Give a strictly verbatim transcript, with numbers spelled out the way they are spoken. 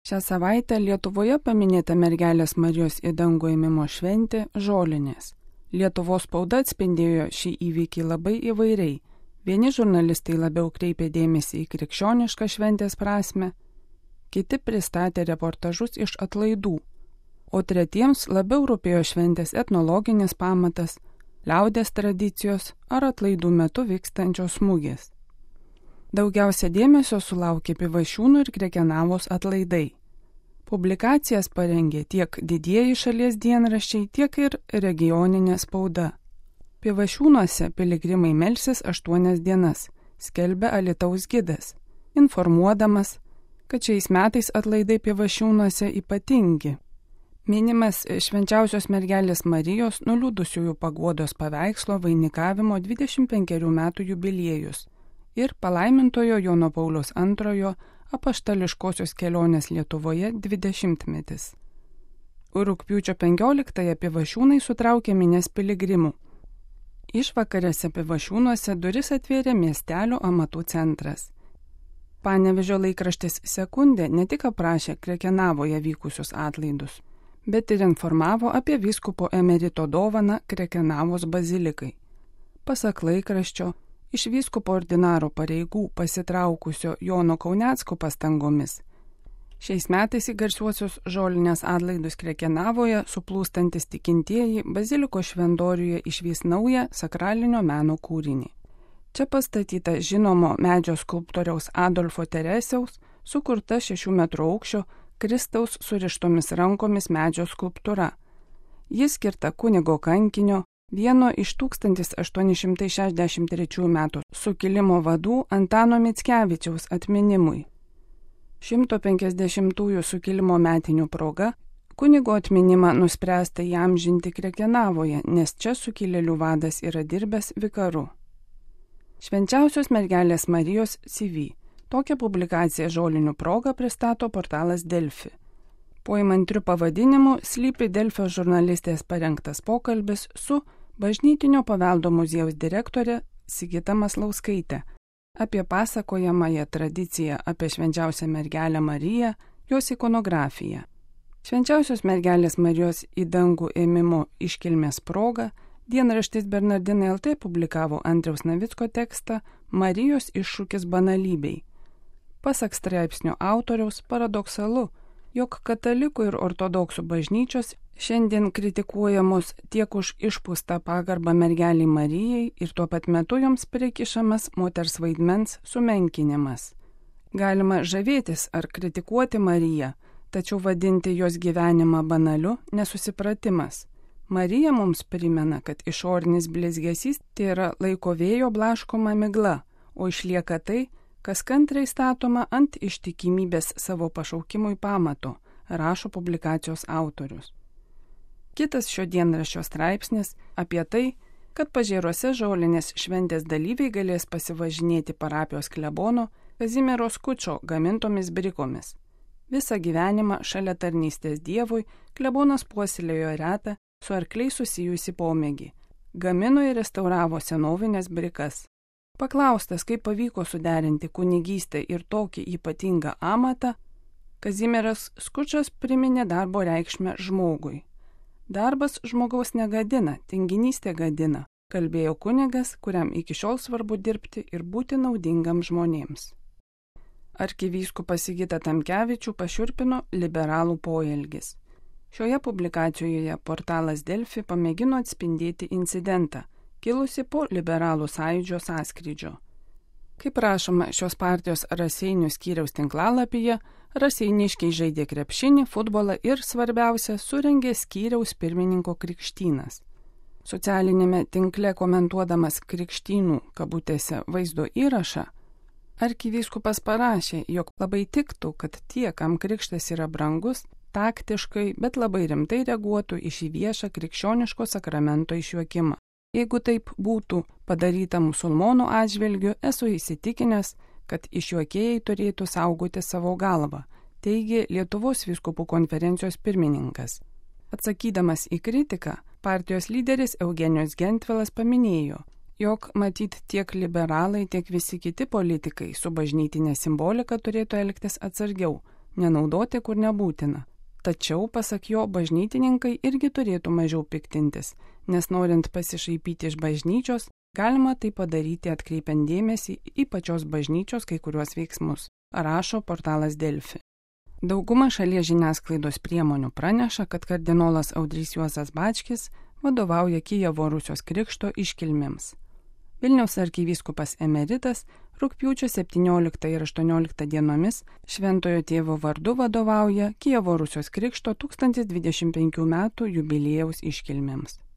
Šią savaitę Lietuvoje paminėta mergelės Marijos į dangų ėmimo šventė Žolinės. Lietuvos spauda atspindėjo šį įvykį labai įvairiai. Vieni žurnalistai labiau kreipė dėmesį į krikščionišką šventės prasme, kiti pristatė reportažus iš atlaidų, o tretiems labiau rūpėjo šventės etnologinis pamatas, liaudės tradicijos ar atlaidų metu vykstančios mugės. Daugiausia dėmesio sulaukė Pivašiūnų ir Krekenavos atlaidai. Publikacijas parengė tiek didieji šalies dienraščiai, tiek ir regioninė spauda. Pivašiūnuose piligrimai melsis aštuonias dienas, skelbia Alytaus gidas, informuodamas, kad šiais metais atlaidai Pivašiūnuose ypatingi. Minimas švenčiausios mergelės Marijos nuliūdusiųjų paguodos paveikslo vainikavimo dvidešimt penkerių metų jubiliejus ir palaimintojo Jono Pauliaus antrojo apaštališkosios kelionės Lietuvoje dvidešimtmetis. Rugpjūčio penkioliktąją Pivašiūnai sutraukė minias piligrimų. Išvakarėse Pivašiūnuose duris atvėrė miestelio amatų centras. Panevėžio laikraštis Sekundė ne tik aprašė Krekenavoje vykusius atlaidus, bet ir informavo apie vyskupo emerito dovaną Krekenavos bazilikai. Pasak laikraščio, iš vyskupo ordinaro pareigų pasitraukusio Jono Kaunecko pastangomis šiais metais į garsiuosius Žolinės atlaidus Krekenavoje suplūstantis tikintieji baziliko šventoriuje išvys naują sakralinio meno kūrinį. Čia pastatyta žinomo medžio skulptoriaus Adolfo Teresiaus sukurta šešių metrų aukščio Kristaus surištomis rankomis medžio skulptūra. Jis skirta kunigo kankinio, vieno iš tūkstantis aštuoni šimtai šešiasdešimt trečiųjų metų sukilimo vadų Antano Mickevičiaus atminimui. šimto penkiasdešimtųjų sukilimo metinių proga kunigo atminimą nuspręsta įamžinti Krekenavoje, nes čia sukilėlių vadas yra dirbęs vikaru. Švenčiausios mergelės Marijos C V. Tokią publikaciją Žolinių proga pristato portalas Delfi. Po įmantriu pavadinimu slypi Delfio žurnalistės parengtas pokalbis su Bažnytinio paveldo muziejaus direktorė Sigita Maslauskaitė apie pasakojamąją tradiciją apie švenčiausią mergelę Mariją, jos ikonografiją. Švenčiausios mergelės Marijos į dangų ėmimo iškilmės proga dienraštis Bernardinai L T publikavo Andriaus Navicko tekstą Marijos iššūkis banalybei. Pasak straipsnio autoriaus paradoksalu, jog katalikų ir ortodoksų bažnyčios šiandien kritikuojamos tiek už išpūstą pagarbą mergeliai Marijai ir tuo pat metu joms prikišamas moters vaidmens sumenkinimas. Galima žavėtis ar kritikuoti Mariją, tačiau vadinti jos gyvenimą banaliu nesusipratimas. Marija mums primena, kad išorinis blizgesys tai yra laiko vėjo blaškoma migla, o išlieka tai, kas kantriai statoma ant ištikimybės savo pašaukimui pamato, rašo publikacijos autorius. Kitas šio dienraščio straipsnis apie tai, kad Pažėruose Žolinės šventės dalyviai galės pasivažinėti parapijos klebono Kazimiero Skučo gamintomis brikomis. Visą gyvenimą šalia tarnystės Dievui klebonas puoselėjo retą su arkliais susijusi pomėgį. Gamino ir restauravo senovinės brikas. Paklaustas, kaip pavyko suderinti kunigystę ir tokį ypatingą amatą, Kazimieras Skučas priminė darbo reikšmę žmogui. Darbas žmogaus negadina, tinginystė gadina, kalbėjo kunigas, kuriam iki šiol svarbu dirbti ir būti naudingam žmonėms. Arkivyskupas Sigitą Tamkevičių pašiurpino liberalų poelgis. Šioje publikacijoje portalas Delfi pamėgino atspindėti incidentą, kilusi po liberalų sąjūdžio sąskrydžio. Kaip rašoma šios partijos Raseinių skyriaus tinklalapyje, raseiniškiai žaidė krepšinį, futbolą ir, svarbiausia, surengė skyriaus pirmininko krikštynas. Socialinėme tinkle komentuodamas krikštynų kabutėse vaizdo įrašą, arkivyskupas parašė, jog labai tiktų, kad tie, kam krikštas yra brangus, taktiškai, bet labai rimtai reaguotų į šį viešą krikščioniško sakramento išjuokimą. Jeigu taip būtų padaryta musulmonų atžvilgiu, esu įsitikinęs, kad išjuokėjai turėtų saugoti savo galvą, teigė Lietuvos vyskupų konferencijos pirmininkas. Atsakydamas į kritiką, partijos lyderis Eugenijus Gentvilas paminėjo, jog matyt tiek liberalai, tiek visi kiti politikai su bažnytinė simbolika turėtų elgtis atsargiau, nenaudoti kur nebūtina. Tačiau, pasak jo, bažnytininkai irgi turėtų mažiau piktintis, nes norint pasišaipyti iš bažnyčios, galima tai padaryti atkreipiant dėmesį į pačios bažnyčios kai kuriuos veiksmus, rašo portalas Delfi. Dauguma šalies žiniasklaidos priemonių praneša, kad kardinolas Audrys Juozas Bačkis vadovauja Kijevo Rusios krikšto iškilmėms. Vilniaus arkivyskupas emeritas rugpjūčio septynioliktą ir aštuonioliktą dienomis Šventojo tėvo vardu vadovauja Kijevo Rusios krikšto tūkstantis dvidešimt penkių metų jubiliejaus iškilmėms.